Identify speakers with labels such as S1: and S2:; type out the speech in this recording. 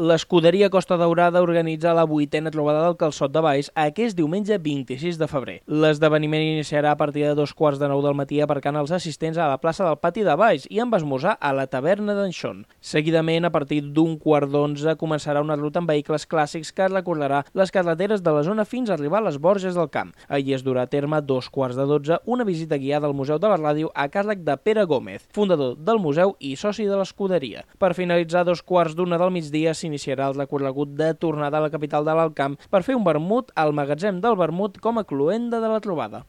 S1: L'escuderia Costa Daurada organitza la 8a trobada del Calçot de Baix aquest diumenge 26 de febrer. L'esdeveniment iniciarà a partir de 2:15 del matí aparcant els assistents a la plaça del Pati de Baix i amb esmorzar a la taverna d'en Xon. Seguidament, a partir d'1:15 començarà una ruta amb vehicles clàssics que recorrerà les carreteres de la zona fins a arribar a les Borges del Camp. Allí es durà a terme a 2:15 una visita guiada al Museu de la Ràdio a càrrec de Pere Gómez, fundador del museu i soci de l'escuderia. Per finalitzar, a 2:15 del migdia s'iniciarà el recorregut de tornada a la capital de l'Alt Camp per fer un vermut al magatzem del vermut com a cloenda de la trobada.